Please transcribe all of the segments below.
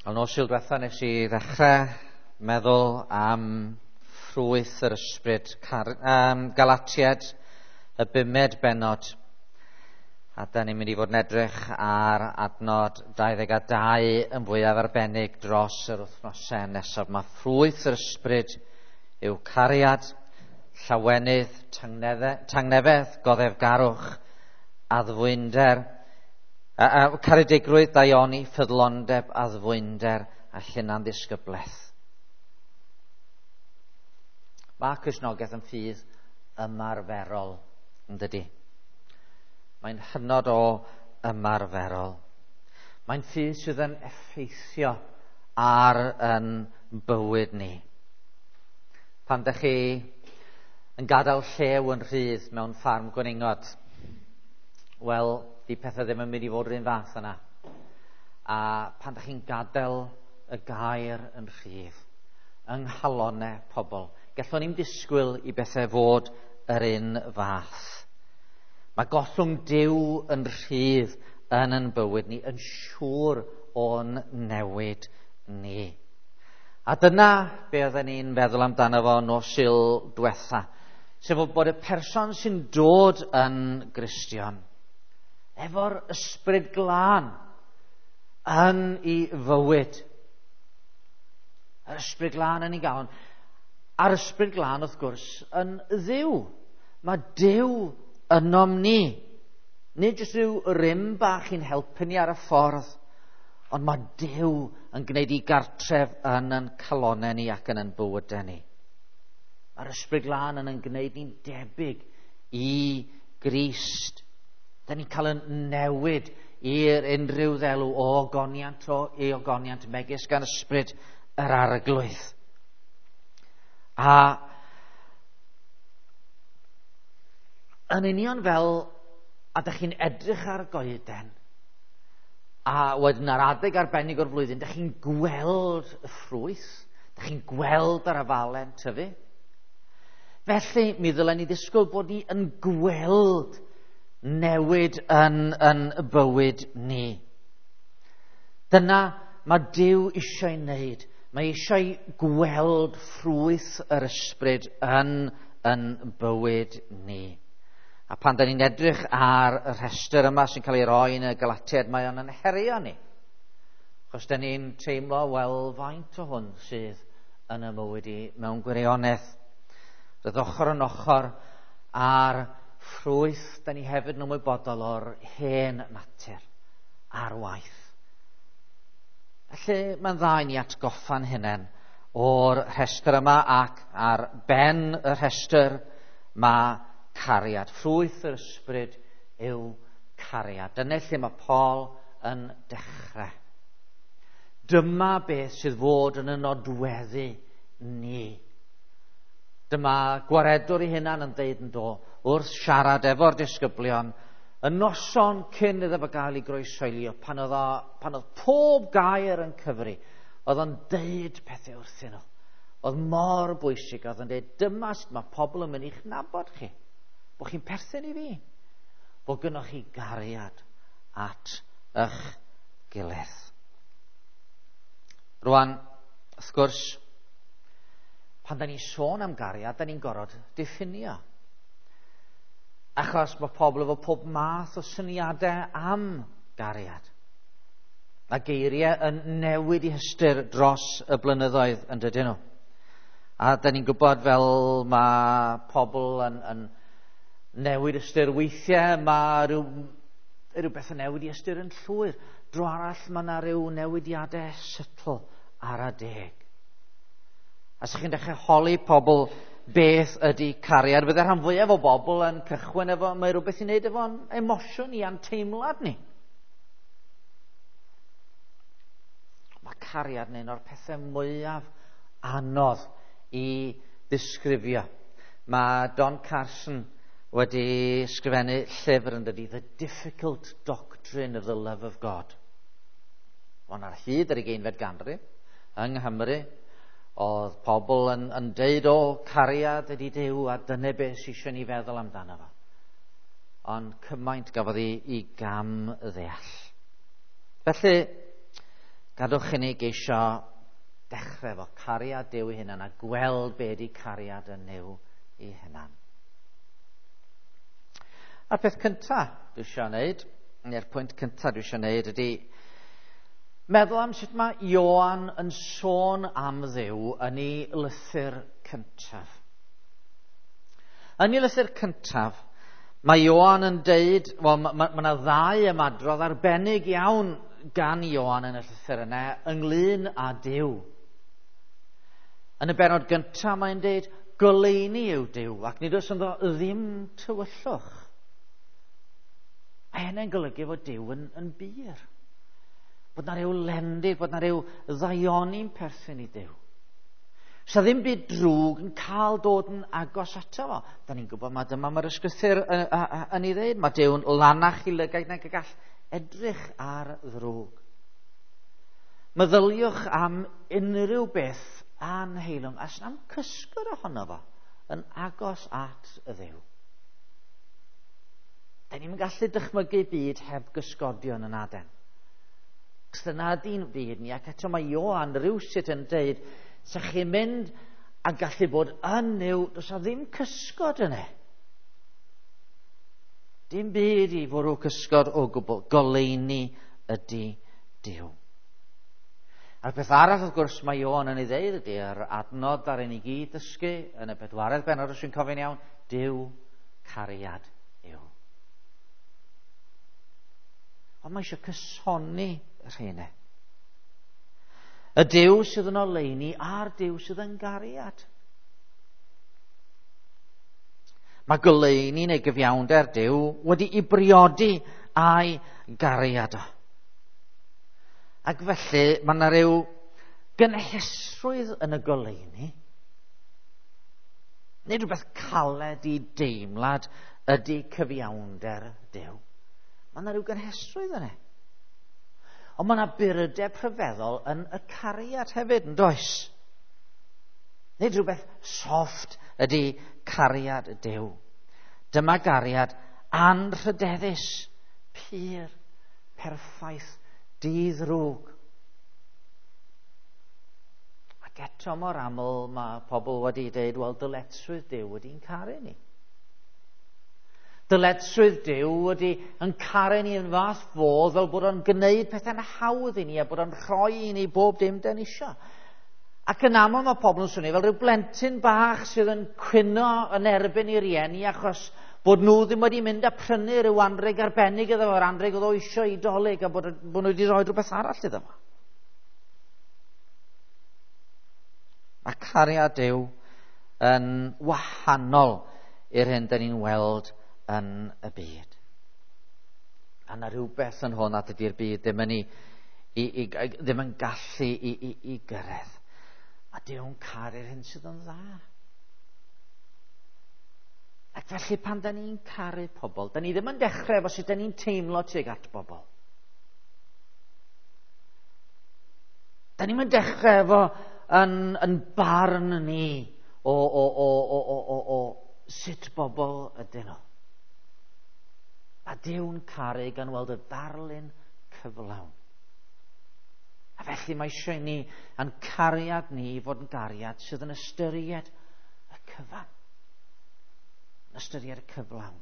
Wel, nos Sul diwetha nes i ddechrau meddwl am ffrwyth yr ysbryd, Galatiad, y bumed bennod. A da ni'n mynd i fod yn edrych ar adnod 22 yn fwyaf arbennig dros yr wythnosau nesaf. Mae ffrwyth yr ysbryd yw cariad, llawenydd, tangnefedd, goddefgarwch, addfwynder, caredigrwydd, daioni, ffyddlondeb, addfwynder a hunanddisgyblaeth. Mae Cristnogaeth yn ffydd ymarferol, yn dydi? Mae'n hynod o ymarferol. Mae'n ffydd sydd yn effeithio ar yn bywyd ni. Pan dych chi yn gadael llew yn rhydd mewn ffarm gwningod, wel, di pethau ddim yn mynd i fod yr un fath yna. A pan dych chi'n gadael y gair yn rhydd, yng nghalonnau pobl, gallwn ni'm disgwyl i bethau fod yr un fath. Mae gollwng Duw yn rhydd yn ein bywyd ni, yn siŵr o'n newid ni. A dyna be oedden ni'n feddwl amdano fo nos Sul diwetha, sef bod y person sy'n dod yn Gristion, efo'r ysbryd glân yn ei fywyd. Yr ysbryd glân yn ei galon. A'r ysbryd glân, wrth gwrs, yn Dduw. Mae Duw ynom ni. Nid jyst rhyw rym bach i'n helpu ni ar y ffordd, ond mae Duw yn gwneud ei gartref yn ein calonnau ni ac yn ein bywydau ni. Mae'r ysbryd glân yn ein gwneud ni'n debyg i Grist. Da ni'n cael yn newid i'r unrhyw ddelw o ogoniant o i ogoniant megis gan ysbryd yr Arglwydd. A yn union fel a dych chi'n edrych ar goeden, a wedyn ar adeg arbennig o'r flwyddyn, dych chi'n gweld y ffrwyth, dych chi'n gweld yr afalen tyfu. Felly, mi ddylen ni ddisgwyl bod ni yn gweld newid yn bywyd ni. Dyna mae Duw eisiau wneud. Mae eisiau gweld ffrwyth yr ysbryd yn bywyd ni. A pan da ni'n edrych ar y rhestr yma sy'n cael ei roi yn y Galatiaid, mae o'n yn herio ni. Achos da ni'n teimlo, wel, faint o hwn sydd yn y mywyd i mewn gwirionedd. Roedd ochr yn ochr a'r ffrwyth, da ni hefyd yn ymwybodol o'r hen natur a'r waith. Felly mae'n dda i ni atgoffa'n hunain o'r rhestr yma, ac ar ben y rhestr mae cariad. Ffrwyth yr ysbryd yw cariad. Dyna lle mae Paul yn dechrau. Dyma beth sydd fod yn y nodweddu ni. Dyma gwaredwr ei hunan yn deud yn do wrth siarad efo'r disgyblion y noson cyn iddo fo gael ei groeshoelio, pan oedd pob gair yn cyfri, oedd o'n deud pethau wrthyn nhw. Oedd mor bwysig, oedd o'n deud, dyma sut mae pobl yn mynd i'ch nabod chi, bod chi'n perthyn i fi, bod gynnoch chi gariad at eich gilydd. Rwan, wrth gwrs, pan da ni'n sôn am gariad, da ni'n gorfod diffinio. Achos mae pobl efo pob math o syniadau am gariad. Mae geiriau yn newid i hystyr dros y blynyddoedd, yn dydyn nhw. A da ni'n gwybod fel mae pobl yn newid ystyr weithiau, mae rhywbeth yn newid i ystyr yn llwyr. Dro arall mae yna rhyw newidiadau subtle ar adeg. A sa'ch chi'n dechrau holi pobl beth ydy cariad, bydde rhan fwyaf o bobl yn cychwyn efo, mae rhywbeth i wneud efo'n emosiwn ni a'n teimlad ni. Mae cariad yn un o'r pethau mwyaf anodd i ddisgrifio. Mae Don Carson wedi ysgrifennu llyfr yn dydi, The Difficult Doctrine of the Love of God. Ond ar hyd yr ugeinfed ganrif yng Nghymru, oedd pobl yn deud, o, cariad ydy Duw, a dyna beth sydd eisiau ni feddwl amdano fo. Ond cymaint gafodd ei gam ddeall. Felly, Gadwch i ni geisio dechrau efo cariad Duw ei hunan a gweld be ydy cariad yn Nuw ei hunan. A'r peth cyntaf dwi eisiau wneud, neu'r pwynt cyntaf dwi eisiau wneud ydy meddwl am sut mae Ioan yn sôn am Dduw yn ei lythyr cyntaf. Yn ei lythyr cyntaf, mae Ioan yn deud, wel, mae yna ddau ymadrodd arbennig iawn gan Ioan yn y llythyr yna ynglyn â Duw. Yn y bennod gyntaf mae'n deud, goleuni yw Duw, ac nid oes ynddo ddim tywyllwch. Mae hynny'n golygu fod Duw yn bur. Bod na ryw lendid, bod na ryw ddaioni'n perthyn i Duw. Sa ddim byd drwg yn cael dod yn agos ato fo. Da ni'n gwybod mae dyma mae'r ysgrythur yn ei ddeud. Mae Duw'n lanach i lygaid nag y gall edrych ar ddrwg. Meddyliwch am unrhyw beth anheilwng a sna'm cysgod ohono fo yn agos at y Dduw. Da ni'n gallu dychmygu byd heb gysgodion yn aden. Cos dyna ydy'n byd ni, ac eto mae Ioan rhywsut yn deud, sa chi'n mynd a gallu bod yn Nuw, does na ddim cysgod yna. Dim byd i fwrw cysgod o gwbl. Goleuni ydy Duw. A'r peth arall, wrth gwrs, mae Ioan yn ei ddeud ydy yr adnod ar ein i gyd dysgu yn y bedwaredd bennod, os dwi'n cofio'n iawn, Duw cariad yw. Ond mae eisiau cysoni y rheina. Y Duw sydd yn oleuni a'r Duw sydd yn gariad. Mae goleuni neu gyfiawnder Duw wedi'i briodi a'i gariad o. Ac felly mae yna ryw gynhesrwydd yn y goleuni. Nid rhywbeth caled i deimlad ydy cyfiawnder Duw. Mae yna ryw gynhesrwydd yna. Ond mae yna burdeb rhyfeddol yn y cariad hefyd, yn does? Nid rhywbeth soft ydy cariad Duw. Dyma gariad anrhydeddus, pur, perffaith, di-ddrwg. Ac eto mor aml mae pobl wedi dweud, wel, dyletswydd Duw ydy'n caru ni. Dyletswydd Duw ydy yn caru ni yn fath fodd fel bod o'n gwneud pethau'n hawdd i ni a bod o'n rhoi i ni bob dim dan ni isio. Ac yn aml mae pobl yn swnio fel rhyw blentyn bach sydd yn cwyno yn erbyn i rieni achos bod nhw ddim wedi mynd a prynu rhyw anrheg arbennig iddo fo, yr anrheg oedd o eisiau i Dolig, a bod nhw wedi rhoi rhywbeth arall iddo fo. Mae cariad Duw yn wahanol i'r hyn dan ni'n weld yn y byd. A na rhywbeth yn hwn a dydy'r byd ddim yn, ddim yn gallu i gyrraedd. A Duw'n caru'r hyn sydd yn dda. Ac felly pan da ni'n caru pobl, da ni ddim yn dechrau efo sut da ni'n teimlo tuag at bobl. Da ni'n mynd dechrau efo yn barn ni o sut bobl ydyn nhw. A Duw'n caru gan weld y darlun cyflawn. A felly mae eisiau ni, a'n cariad ni, fod yn gariad sydd yn ystyried y cyfan. Yn ystyried y cyflawn.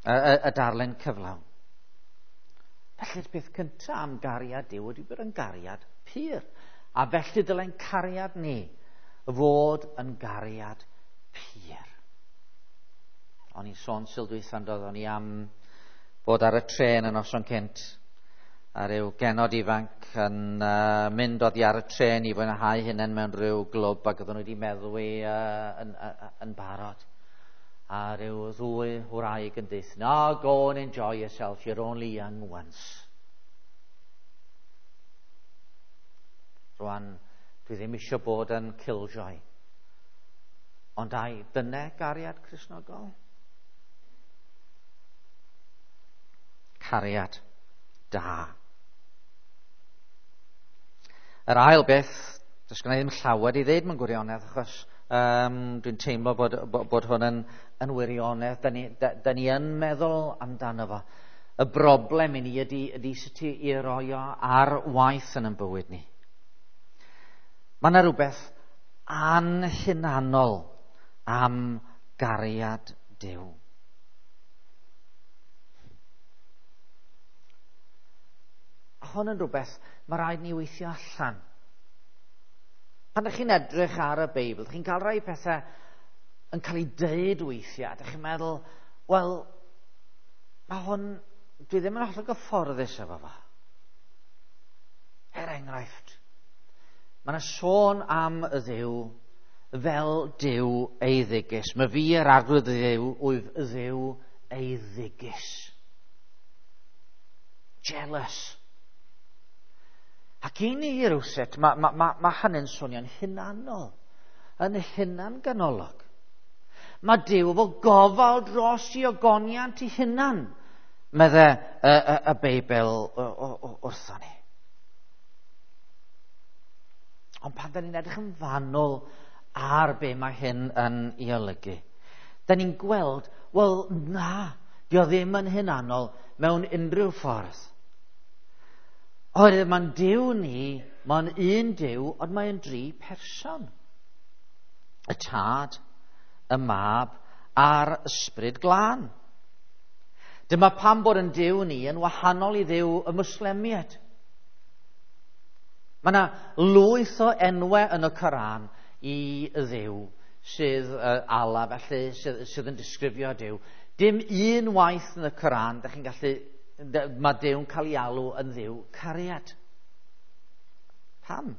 Y darlun cyflawn. Felly'r peth cyntaf am gariad Duw ydy bod yn gariad pur. A felly dyle'n cariad ni fod yn gariad pur. O'n i'n sôn sil dwytha, doedd, o'n i am bod ar y trên yn noson cynt a rhyw genod ifanc yn mynd oddi ar y trên i fwynhau hunain mewn rhyw glwb ac oedden nhw wedi meddwi yn barod. A rhyw ddwy wraig yn deud, no, go and enjoy yourself, you're only young once. Rwan, dwi ddim eisiau bod yn killjoy. Ond ai, dyna gariad Cristnogol? Cariad da. Yr ail beth, does gynna i ddim llawer i ddeud mewn gwirionedd, achos dwi'n teimlo bod hwn yn wirionedd. Da ni yn meddwl amdano fo. Y broblem i ni ydy sut i roi o ar waith yn ein bywyd ni. Mae yna rhywbeth anhunanol am gariad Duw. A hwn yn rhywbeth mae rhaid ni weithio allan. Pan ydych chi'n edrych ar y Beibl, ydych chi'n cael rhai pethau yn cael ei deud weithiau, ydych chi'n meddwl, wel, mae hwn, dwi ddim yn hollol gyfforddus efo fo. Er enghraifft, mae yna sôn am y Dduw fel Duw eiddigus. Mae fi yr arglwydd Dduw, wyf y Dduw eiddigus. Jealous. Ac i ni rywsut, mae hynny'n swnio'n hunanol, yn hunan-ganolog. Mae Duw efo gofal dros i ogoniant i hunan, medde y Beibl wrtho ni. Ond pan da ni'n edrych yn fanwl ar be mae hyn yn ei olygu, da ni'n gweld, wel na, dio ddim yn hunanol mewn unrhyw ffordd. Oherwydd mae'n Duw ni, mae'n un Duw, ond mae'n dri person. Y Tad, y Mab a'r Ysbryd Glân. Dyma pam bod yn Duw ni yn wahanol i Dduw y Mwslemiaid. Mae yna lwyth o enwau yn y Coran i Dduw sydd Allah, felly, sydd yn disgrifio Duw. Dim un waith yn y Coran, da chi'n gallu, mae Duw'n cael ei alw yn Dduw cariad. Pam?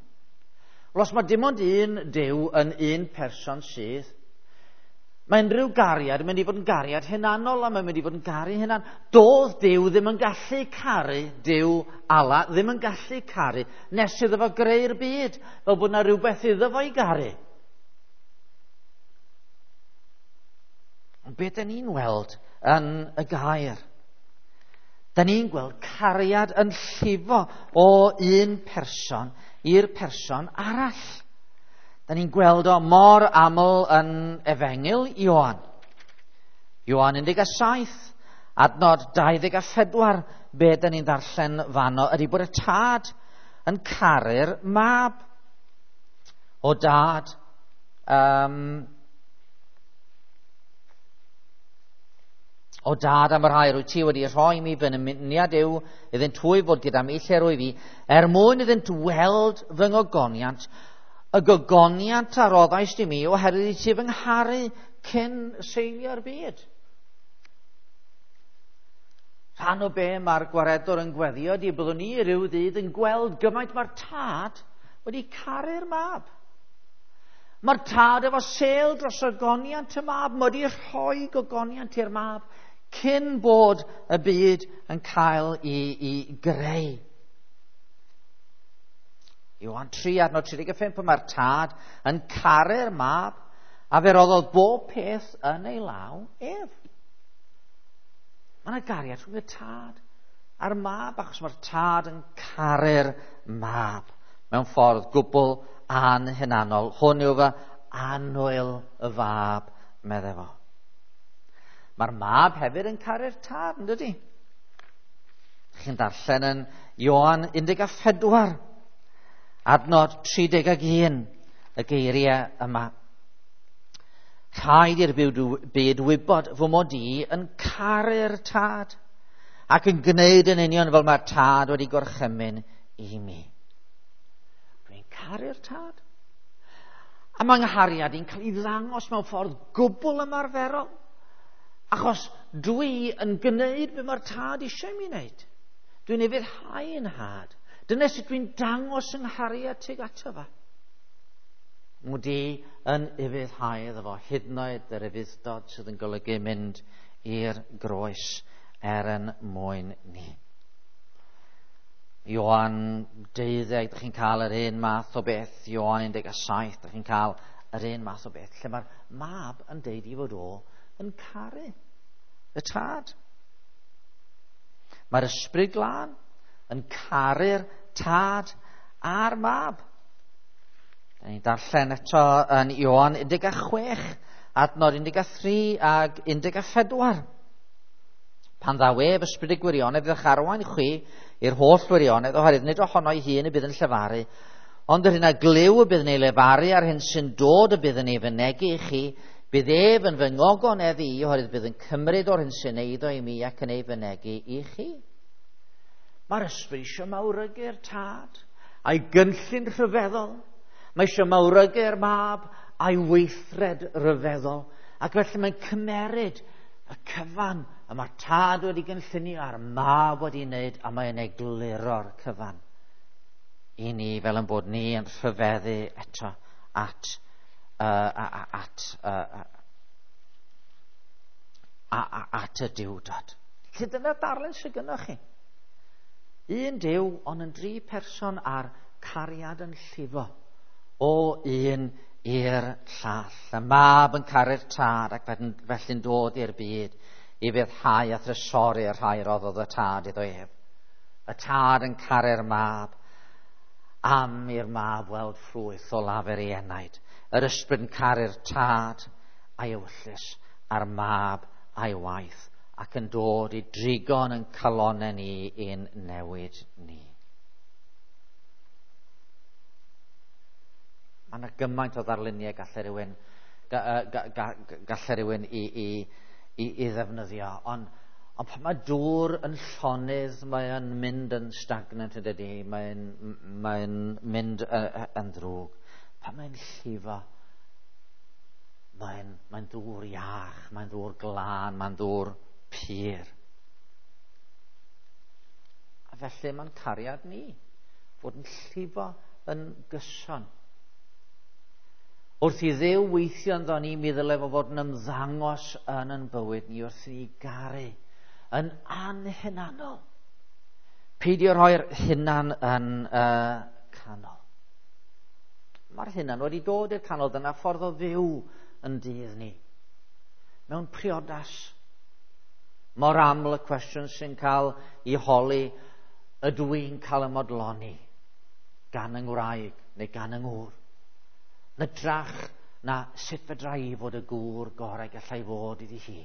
Wel, os mae dim ond un Duw yn un person sydd, mae unrhyw gariad yn mynd i fod yn gariad hunanol a mae'n mynd i fod yn garu hunan. Doedd Duw ddim yn gallu caru, Duw Allah ddim yn gallu caru nes iddo fo greu'r byd, fel bod yna rhywbeth iddo fo i garu. Ond beth da ni'n weld yn y gair? Da ni'n gweld cariad yn llifo o un person i'r person arall. Da ni'n gweld o mor aml yn Efengyl Ioan. Ioan 17, adnod 24, be da ni'n ddarllen fanno ydy bod y Tad yn caru'r Mab. O Dad, O Dad, am y rhai rwy ti wedi rhoi mi fy nymuniad yw iddynt hwy fod gyda mi lle rwy fi, er mwyn iddynt weld fy ngogoniant, y gogoniant a roddaist i mi oherwydd i ti fy ngharu cyn seilio'r byd. Rhan o be mae'r gwaredwr yn gweddio ydy byddwn ni ryw ddydd yn gweld gymaint mae'r Tad wedi caru'r Mab. Mae'r Tad efo sêl dros ogoniant y Mab, mae wedi rhoi gogoniant i'r Mab cyn bod y byd yn cael ei greu. Ioan 3, adnod 35, mae'r Tad yn caru'r Mab a fe roddodd bob peth yn ei law ef. Mae yna gariad rhwng y Tad a'r Mab, achos mae'r Tad yn caru'r Mab mewn ffordd gwbl anhunanol. Hwn yw fy annwyl y Fab, medde fo. Mae'r Mab hefyd yn caru'r Tad, yn dydi? Chi'n darllen yn Ioan 14, adnod 31, y geiriau yma. Rhaid i'r byd wybod fy mod i yn caru'r Tad ac yn gwneud yn union fel mae'r Tad wedi gorchymyn i mi. Dwi'n caru'r Tad. A mae nghariad i'n cael ei ddangos mewn ffordd gwbl ymarferol, achos dwi yn gwneud be mae'r Tad eisiau mi wneud. Dwi'n ufuddhau yn nhad. Dyna sut dwi'n dangos yng nghariad tuag ato fo. Mod i yn ufuddhau iddo fo, hyd yn oed yr ufudd-dod sydd yn golygu mynd i'r groes er yn mwyn ni. Ioan 12, ydych chi'n cael yr un math o beth. Ioan 17, ydych chi'n cael yr un math o beth, lle mae'r Mab yn deud i fod o yn caru y Tad. Mae'r Ysbryd Glân yn caru'r Tad a'r Mab. Da ni'n darllen eto yn Ioan 16, adnod 13 ag 14. Pan ddaw ef, ysbryd y gwirionedd, fydd eich arwain chwi i'r holl wirionedd, oherwydd nid ohono ei hun y bydd yn llefaru, ond yr hyn a glyw y bydd yn ei lefaru a'r hyn sy'n dod y bydd yn ei fynegi i chi, bydd ef yn fy ngogonedd i, oherwydd bydd yn cymryd o'r hyn sy'n eiddo i mi ac yn ei fynegi i chi. Mae'r ysbryd eisiau mawrygu'r tad a'i gynllun rhyfeddol. Mae eisiau mawrygu'r mab a'i weithred ryfeddol. Ac felly mae'n cymeryd y cyfan y mae'r tad wedi gynllunio a'r mab wedi wneud, a mae'n egluro'r cyfan i ni fel yn bod ni yn rhyfeddu eto at at y Duwdod. Felly dyna'r darlun sydd gynnoch chi. Un Duw, ond yn dri person a'r cariad yn llifo o un i'r llall. Y mab yn caru'r tad ac felly'n dod i'r byd i fyddhau a thrysori'r rhai roddodd y tad iddo ef. Y tad yn caru'r mab am i'r mab weld ffrwyth o lafur ei enaid. Yr ysbryd yn caru'r tad a'i ewyllys a'r mab a'i waith ac yn dod i drigon yn calonau ni i'n newid ni. Mae yna gymaint o ddarluniau gallai rhywun i ddefnyddio, ond pan mae dŵr yn llonydd, mae'n mynd yn stagnant yn dydi, mae'n mynd yn ddrwg. Pan mae'n llifo, mae'n ddŵr iach, mae'n ddŵr glân, mae'n ddŵr pur. A felly mae'n cariad ni fod yn llifo yn gyson. Wrth i Dduw weithio ynddo ni, mi ddyle fo fod yn ymddangos yn ein bywyd ni wrth i ni garu yn anhunanol. Peidio rhoi'r hunan yn y canol. Mae'r hunan wedi dod i'r canol, dyna ffordd o fyw yn dydd ni. Mewn priodas, mor aml y cwestiwn sy'n cael ei holi, ydw i'n cael y modloni gan yng ngwraig neu gan yng ngŵr? Nydrach na sut fedra i fod y gŵr gorau gallai fod iddi hi.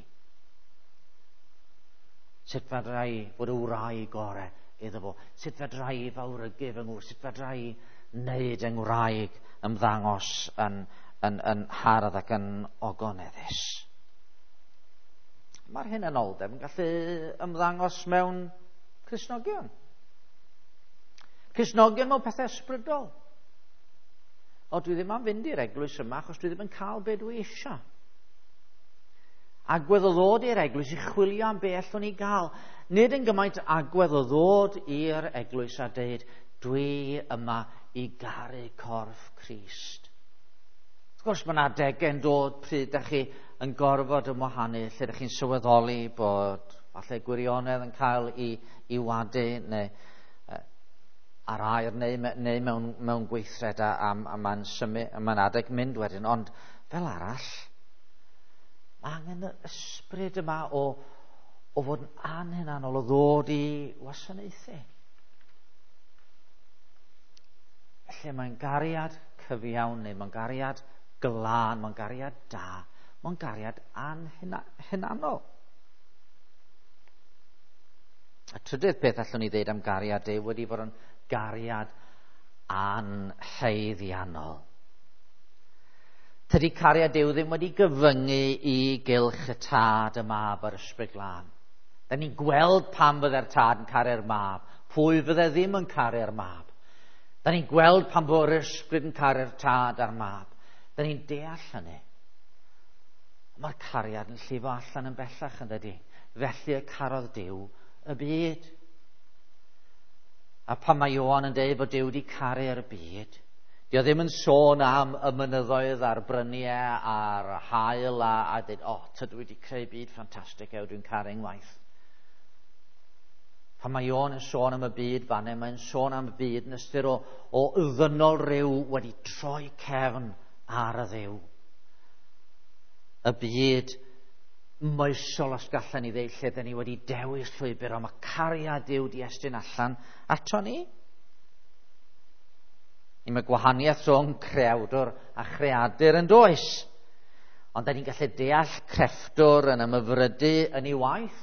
Sut fedra i fod y wraig gorau iddo fo. Sut fedra i fawrygu fy ngŵr. Sut fedra i wneud yng ngwraig ymddangos yn hardd ac yn ogoneddus. Mae'r hunanoldeb yn gallu ymddangos mewn Cristnogion. Cristnogion mewn pethau ysbrydol. O, dwi ddim am fynd i'r eglwys yma achos dwi ddim yn cael be dwi eisiau. Agwedd o ddod i'r eglwys i chwilio am be allwn ni gael. Nid yn gymaint agwedd o ddod i'r eglwys a deud, dwi yma i garu corff Crist. Wrth gwrs, mae yna adegau'n dod pryd ydych chi yn gorfod ymwahanu, lle ydych chi'n sylweddoli bod falle gwirionedd yn cael ei wadu neu ar air neu mewn gweithred a mae'n symud, mae'n adeg mynd wedyn. Ond fel arall, mae angen yr ysbryd yma o fod yn anhunanol, o ddod i wasanaethu. Felly mae'n gariad cyfiawn neu mae'n gariad glân, mae'n gariad da, mae'n gariad anhunanol. Y trydydd peth allwn ni ddeud am gariad Duw wedi fod yn gariad anhaeddiannol. Tydi cariad Duw ddim wedi gyfyngu i gylch y tad, y mab a'r ysbryd glân. Da ni'n gweld pam fydde'r tad yn caru'r mab, pwy fydde ddim yn caru'r mab. Da ni'n gweld pam bod yr ysbryd yn caru'r tad a'r mab. Da ni'n deall hynny. Mae'r cariad yn llifo allan yn bellach yn dydi. Felly y carodd Duw y byd. A pan mae Ioan yn dweud bod Duw wedi caru'r byd, dio ddim yn sôn am y mynyddoedd a'r bryniau a'r haul a dweud, o, tydw i wedi creu byd ffantastig, ew, dwi'n caru ngwaith. Pan mae Ioan yn sôn am y byd fanne, mae'n sôn am y byd yn ystyr o ddynol ryw wedi troi cefn ar y Dduw. Y byd moesol, os gallan ni ddeud, lle dyn ni wedi dewis llwybr, ond mae cariad Duw di estyn allan ato ni. Mae gwahaniaeth rhwng creawdwr a chreadur yn does. Ond da ni'n gallu deall crefftwr yn ymhyfrydu yn ei waith,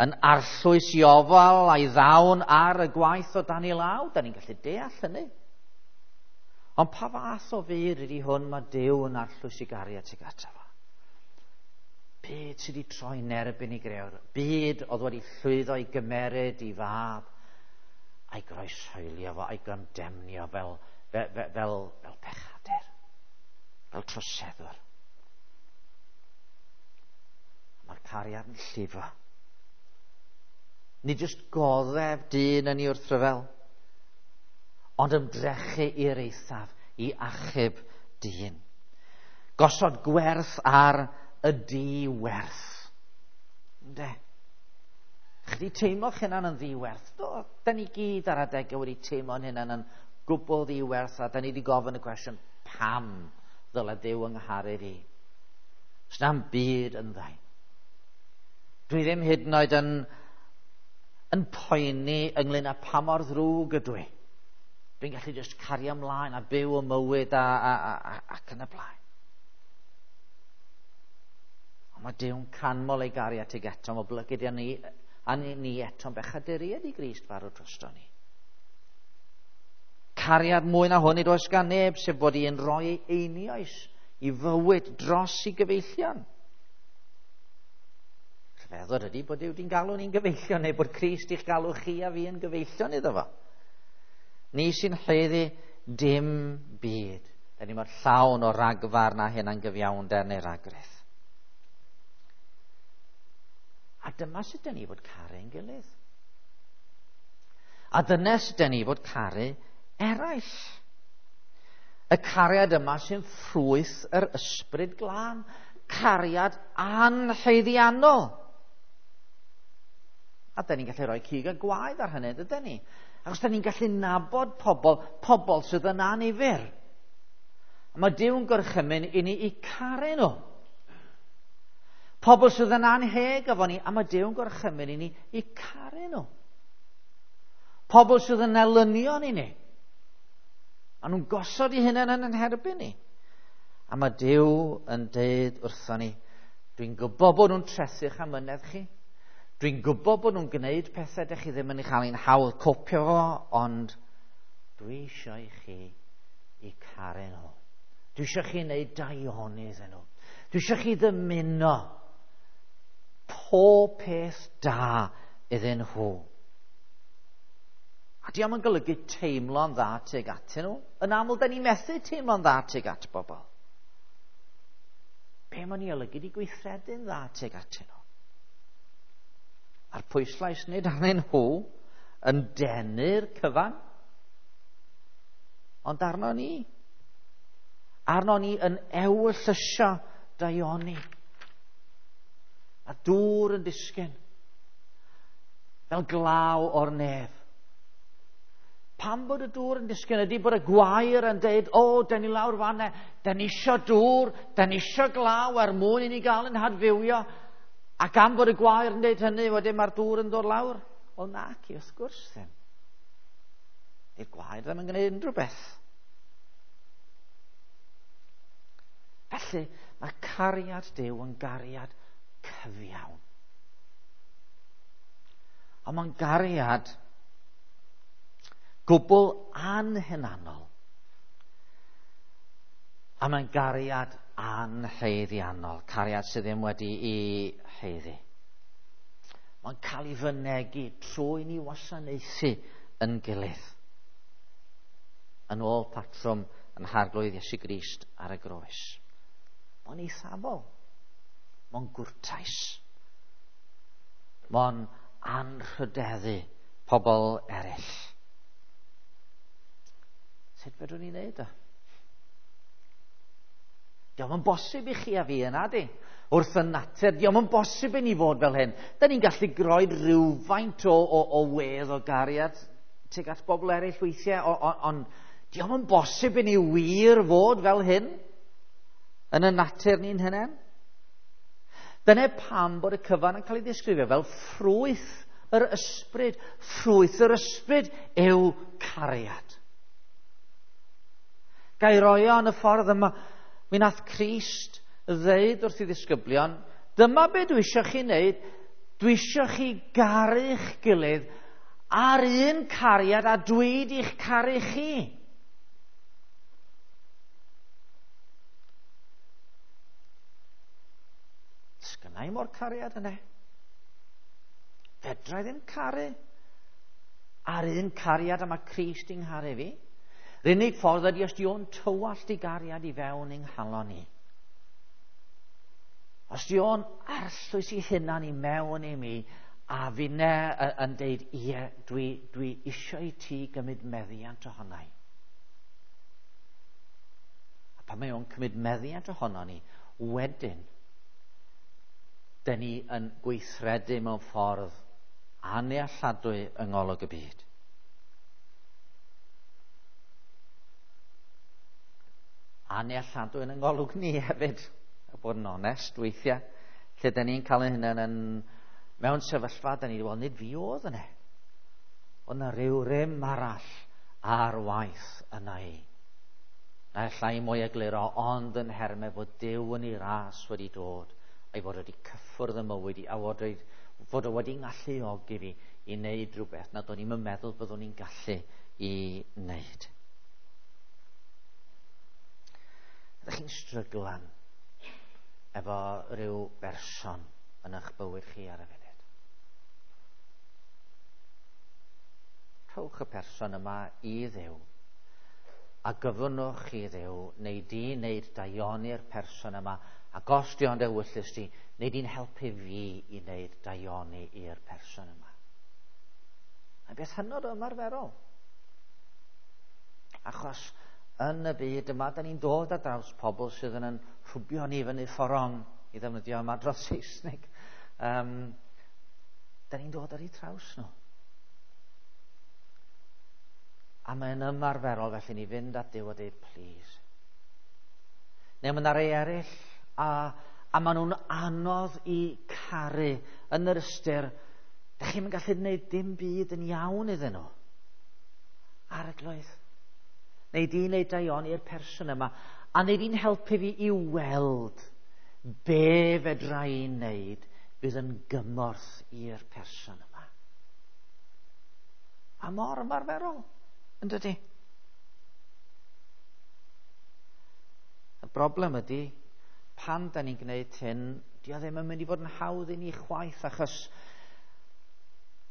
yn arllwys i ofal a'i ddawn ar y gwaith o dan ei law. Da ni'n gallu deall hynny. Ond pa fath o fyd ydy hwn mae Duw yn arllwys i gariad tuag ato fo? Byd sydd wedi troi'n erbyn i grewr. Byd oedd wedi llwyddo i gymeryd i fab a'i groeshoelio fo, a'i gondemnio fel pechadur, fel troseddwr. Mae'r cariad yn llifo. Nid jyst goddef dyn yn ei wrthryfel, ond ymdrechu i'r eithaf i achub dyn. Gosod gwerth ar y diwerth. Ynde? Chi wedi teimlo'ch hunan yn ddiwerth? Do, da ni gyd ar adegau wedi teimlo'n hunan yn gwbl ddiwerth, a da ni wedi gofyn y cwestiwn, pam ddyle Duw yng ngharu fi? S'na'm byd ynddo. Dwi ddim hyd yn oed yn poeni ynglyn â pa mor ddrwg ydw i. Dwi'n gallu jyst cario ymlaen a byw y mywyd ac yn y blaen. Ond mae Duw'n canmol ei gariad tuag atom, oblygiad ni, a ni eto'n bechaduriaid i Grist farw drosto ni. Cariad mwy na hwn nid oes gan neb, sef bod i'n rhoi ei einioes i fywyd dros i gyfeillion. Rhyfeddod ydy bod Duw wedi'n galw ni'n gyfeillion, neu bod Crist i'ch galw chi a fi yn gyfeillion iddo fo. Ni sy'n haeddu dim byd. Da ni mor llawn o ragfarn a hunangyfiawnder neu ragrith. A dyma sut da ni fod caru ein gilydd. A dyna sut da ni fod caru eraill. Y cariad yma sy'n ffrwyth yr ysbryd glân. Cariad anhaeddiannol. A da ni'n gallu rhoi cig a gwaed ar hynny, dydyn ni? Achos da ni'n gallu nabod pobl sydd yn annifyr. A mae Duw'n gorchymyn i ni i caru nhw. Pobl sydd yn anheg efo ni, a mae Duw'n gorchymyn i ni i caru nhw. Pobl sydd yn elynion i ni. A nhw'n gosod eu hunain yn herbyn ni. A mae Duw yn deud wrthon ni, dwi'n gwybod bod nhw'n trethu'ch amynedd chi. Dwi'n gwybod bod nhw'n gwneud pethau dych chi ddim yn ei chael ein hawdd copio fo, ond dwi eisiau i chi i caru nhw. Dwi eisiau chi wneud daioni iddyn nhw. Dwi eisiau chi ddymuno pob peth da iddyn nhw. A diolch yn golygu teimlo'n dda tuag atyn nhw. Yn aml, da ni methu teimlo'n dda tuag at bobl. Be mae'n ei olygu di gweithredu'n dda tuag atyn nhw. A'r pwyslais nid arnyn nhw yn denu'r cyfan, ond arno ni. Arno ni yn ewyllysio daioni. A dŵr yn disgyn fel glaw o'r nef. Pam bod y dŵr yn disgyn ydy bod y gwair yn deud, o, da ni lawr fanna, da ni isio dŵr, da ni isio glaw er mwyn i ni gael yn hadfywio. Ac am bod y gwair yn deud hynny, wedyn mae'r dŵr yn dod lawr. O naci, wrth gwrs ddim. Di'r gwair ddim yn gwneud unrhyw beth. Felly, mae cariad Duw yn gariad cyfiawn. Ond mae'n gariad gwbl anhunanol. A mae'n gariad anhaeddiannol, cariad sydd ddim wedi'i haeddu. Mae'n cael ei fynegi trwy ni wasanaethu yn gilydd. Yn ôl patrwm yn Harglwydd Iesu Grist ar y groes. Mae'n eithafol. Mae'n gwrtais. Mae'n anrhydeddu pobl eraill. Sut fedrwn ni wneud o? Dio'm yn bosib i chi a fi yna, di. Wrth y natur, dio'm yn bosib i ni fod fel hyn. Da ni'n gallu groed rhywfaint o wedd o gariad tuag at bobl eraill weithiau, ond dio'm yn bosib i ni wir fod fel hyn yn y natur ni'n hunain. Dyna pam bod y cyfan yn cael ei ddisgrifio fel ffrwyth yr ysbryd. Ffrwyth yr ysbryd yw cariad. Gai roi o yn y ffordd yma. Mi nath Crist ddeud wrth i ddisgyblion, dyma be dwi eisiau chi wneud, Dwi eisiau chi garu'ch gilydd ar un cariad a dwi di'ch caru chi. Sgynna i mo'r cariad yna. Fedra i ddim caru ar un cariad a mae Crist i'n ngharu fi. Yr unig ffordd ydy os di o'n tywallt i gariad i fewn i'n nghalon i. Os di o'n arllwys i hunan i mewn i mi, a finne yn deud, ie, dwi eisiau i ti gymryd meddiant ohono i. A pan mae o'n cymryd meddiant ohono ni, wedyn, dyn ni yn gweithredu mewn ffordd annealladwy yng ngolwg y byd. Annealladwy yn ngolwg ni hefyd, a bod yn onest weithiau, lle dyn ni'n cael ein hunain yn mewn sefyllfa, dyn ni'n dweud, nid fi oedd yna. Oedd yna rhyw rym arall ar waith yna i. Na allai mwy egluro, ond yn nhermau fod Duw yn ei ras wedi dod, a'i fod wedi cyffwrdd y mywyd i, a fod o wedi ngalluogi fi i wneud rhywbeth nad o'n i'n meddwl byddwn i'n gallu i wneud. Ydych chi'n stryglan efo rhyw berson yn eich bywyd chi ar y funud? Rhowch y person yma i Dduw a gyfynnwch i Dduw neu di wneud daioni'r person yma, ac os di ond ewyllys di, neu di'n helpu fi i wneud daioni i'r person yma. Mae'n beth hynod o ymarferol. Achos yn y byd yma, da ni'n dod ar draws pobl sydd yn rhwbio ni fyny fforong, i ddefnyddio ymadrodd Saesneg. Da ni'n dod ar eu traws nhw. A mae'n ymarferol felly ni fynd at Duw a dweud, please. Neu mae yna rei eraill a maen nhw'n anodd i caru yn yr ystyr, da chi'm yn gallu gwneud dim byd yn iawn iddyn nhw. Arglwydd, neu di wneud daioni i'r person yma, a neu di'n helpu fi i weld be fedra i wneud fydd yn gymorth i'r person yma. A mor ymarferol, yn dydi? Y broblem ydy, pan da ni'n gwneud hyn, di o ddim yn mynd i fod yn hawdd i ni chwaith, achos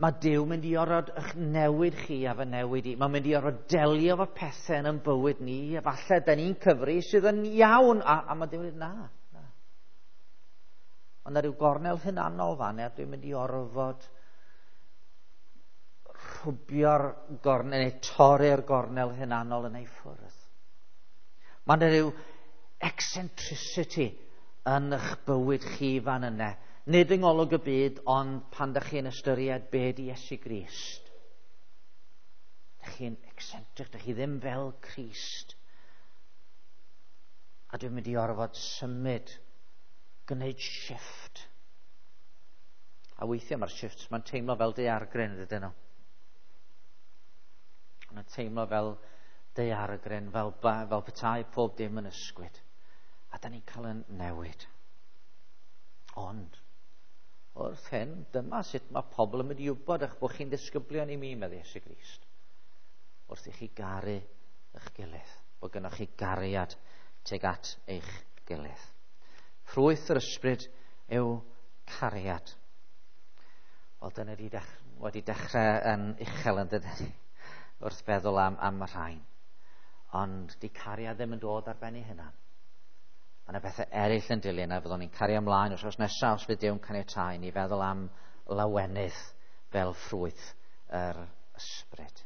mae Duw mynd i orfod eich newid chi a fy newid i. Mae'n mynd i orfod delio efo pethau yn ein bywyd ni, a falle da ni'n cyfri sydd yn iawn, a mae Duw'n dweud, na, na. Ond na rhyw gornel hunanol fan, a dwi'n mynd i orfod rhwbio'r gornel, neu torri'r gornel hunanol yn ei ffwrdd. Mae yna rhyw eccentricity yn eich bywyd chi fan yna. Nid yng ngolwg y byd, ond pan dych chi'n ystyried be di Iesu Grist. Dych chi'n eccentric, dych chi ddim fel Crist. A dwi'n mynd i orfod symud, gwneud shift. A weithiau mae'r shifts, mae'n teimlo fel daeargryn, dydyn nhw. Mae'n teimlo fel daeargryn, fel petai pob dim yn ysgwyd. A da ni'n cael yn newid. Ond, wrth hyn, dyma sut mae pobl yn mynd i wybod eich bod chi'n ddisgyblion i mi, meddai Iesu Grist. Wrth i chi garu eich gilydd, bod gynnoch chi gariad tuag at eich gilydd. Ffrwyth yr ysbryd yw cariad. Wel, dyna di wedi dechrau yn uchel yn dydy, wrth feddwl am y rhain. Ond di cariad ddim yn dod ar ben ei hunan. Mae yna bethau eraill yn dilyn a fyddwn ni'n cario ymlaen wythnos nesaf os fydd Duw'n caniatáu ni feddwl am lawenydd fel ffrwyth yr ysbryd.